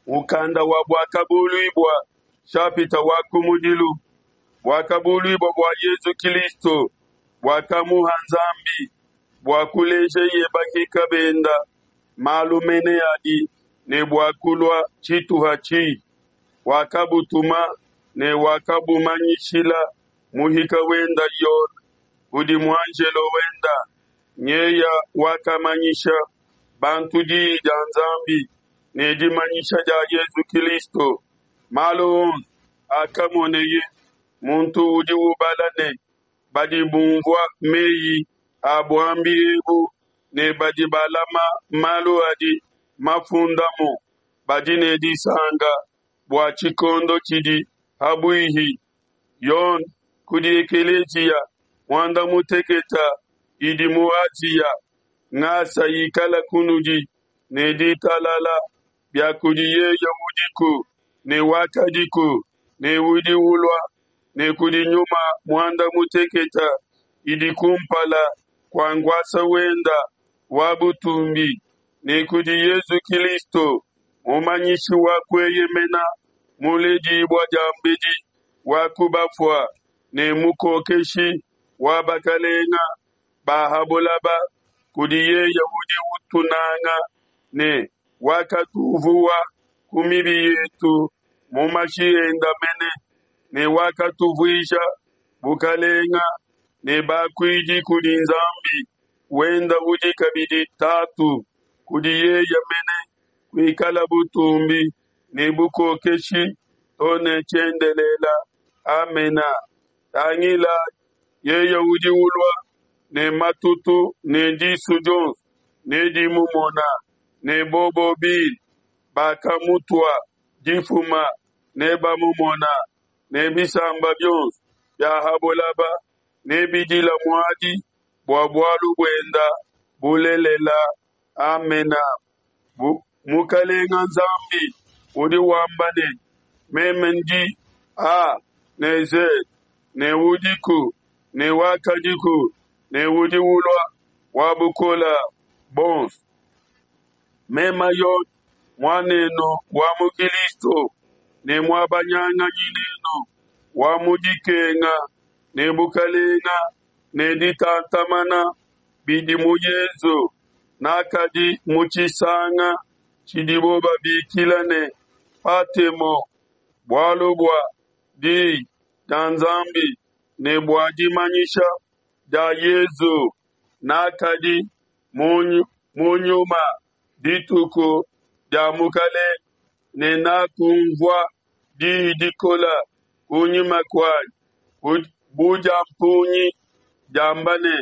Mukanda wa Buakabuluibua nshapita wa kumudilu. Buakabuluibua bua Yezu Kilisto buakamuha Nzambi bua kulejeye bahika benda malu mene adi ne bua kulua tshituha tshihi. Wakabutuma ne wakabumanyishila muhika wenda Yone kudi muanjelo wenda, nyeya wakamanyisha bantu diyi dia Nzambi ne dimanyisha dia Yezu Kilisto. Malu onso akamoneye muntu udi ubala ne badi bumvua meyi a buambi ebu ne badi balama malu adi mafundamu badi ne disanka bua tshikondo tshidi pabuihi. Yone kudi ekeleziya muanda muteketa idi mu Asia, ngasa ikala kunudi ne ditalala bia kudi yeye udiku ne wakadiku ne udi ulua, ne kudi nyuma muanda muteketa idi kumpala kua nkuasa wenda wa butumbi, ne kudi Yezu Kilisto, mumanyishi wa kueyemena, muledibua diambedi wa ku bafua, ne mukokeshi wa bakalenga ba ha bulaba, kudi yeye udi utunanga ne wakatuvuwa ku mibi yetu mu mashi enda mene, ne wakatuvuija bukalenga ne bakuidi kudi Nzambi wenda udi kabidi Tatu, kudi yeye mene kuikala butumbi ne bukokeshi to ne tshiendelela. Amena. Tangila, yeye udi ulua ne matutu, ne disu dionso nedimumona, ne bobo bine bakamutua difuma nebamumona, ne bisamba bionso bia ha bulaba nebidila muadi bua bualu buenda. Bulelela. Amena. Mukalenga Nzambi udi wamba ne, Meme ndi A ne Z, ne udiku, ne wakadiku, ne udi ulua, wa bukola bonso. Mema Yone, muanenu wa mu Kilisto, ne muabanyanganyi nenu wa mu dikenga ne bukalenga ne ditantamana bidi mu Yezu, nakadi mu tshisanga tshidibo babikila ne Patemo, bualu bua diyi dia Nzambi ne bua dimanyisha dia Yezu, nakadi mu nyuma dituku dia Mukalenge, ne nakumvua diyi dikola kunyima kuanyi bu dia mpungi diamba ne,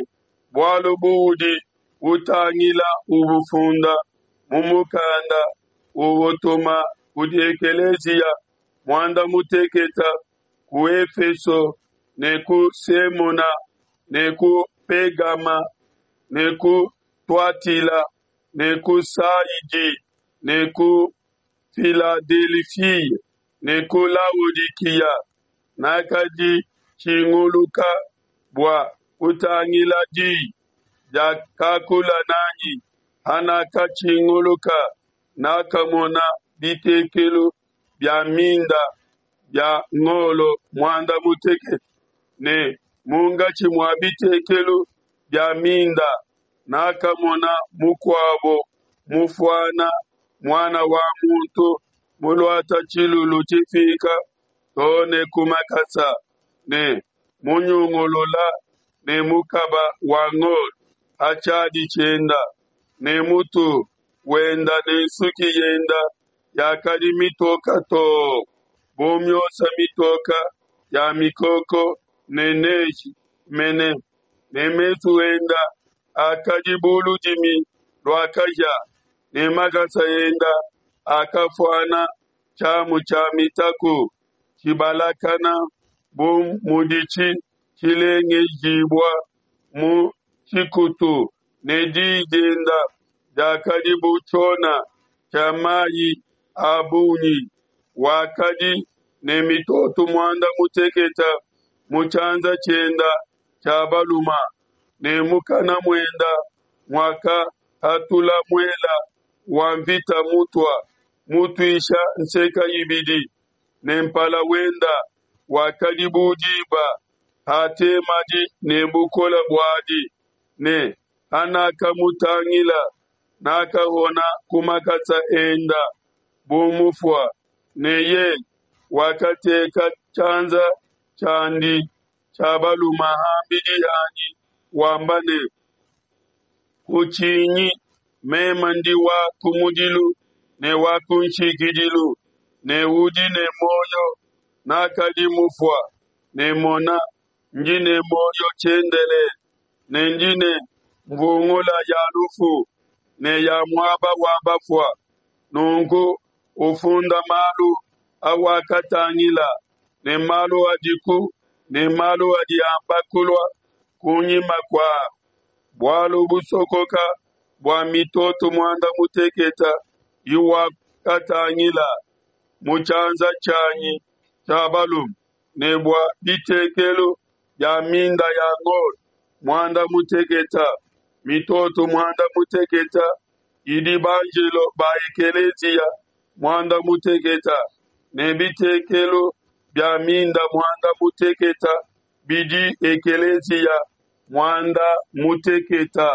Bualu buudi utangila ubufunda mu mukanda uwutuma kudi ekeleziya muanda muteketa ku Efeso ne ku Semuna ne ku Pegama ne ku Tuatila ne ku Saidi ne ku Filadelifia ne ku Laodikiya. Nakaditshinguluka bua kutangila di diakakula nanyi. Hanakatshinguluka, nakamona bitekelu bia minda bia ngolo muanda mutekete, ne munkatshi mua bitekelu bia minda nakamona mukuabo mufuana muana wa muntu muluata tshilulu tshifika too ne ku makasa, ne munyungulula ne mukaba wa ngolo ha tshiadi tshienda, ne mutu wenda ne nsuki yenda yakadi mitoka too bu miosa mitoka ya mikoko ne neige mene, ne mesu enda akadi bu ludimi lua kahia, ne makasa enda akafuana tshiamu tshia mitaku tshibalakana bu muditshi tshilengejibua mu tshikutu, ne diyi dienda diakadi bu tshiona tshia mayi a bungi. Wakadi ne mitoto muanda mutekete mu tshianza tshienda tshia baluma, ne mukana muenda muakahatula muela wa mvita mutua. mutuisha nseka ibidi, ne mpala wenda wakadi bu diba hatemadi ne bukole buadi, ne hanakamutangila, nakahona ku makasa enda bu mufua. Ne yeye wakateka tshianza tshiandi tshia balume ham'bidi hanyi, wamba ne, Kutshinyi, meme ndi wa kumudilu ne wa kunshikidilu, ne udi ne muoyo. Nakadi mufua, ne mona, ndi ne muoyo tshiendelele, ne ndi ne nvungula ya lufu ne ya muaba wa bafua. Nunku ufunda malu awakatangila, ne malu adiku, ne malu adi amba kulua kunyima kua bualu busokoka bua mitoto muanda mutekete iwakatangila mu tshianza tshianyi tshia balume, ne bua bitekelu bia minda ya ngolo muanda mutekete, mitoto muanda mutekete idi banjelo ba ekeleziya muanda mutekete, ne bitekelu bia minda muanda mutekete bidi ekeleziya muanda mutekete.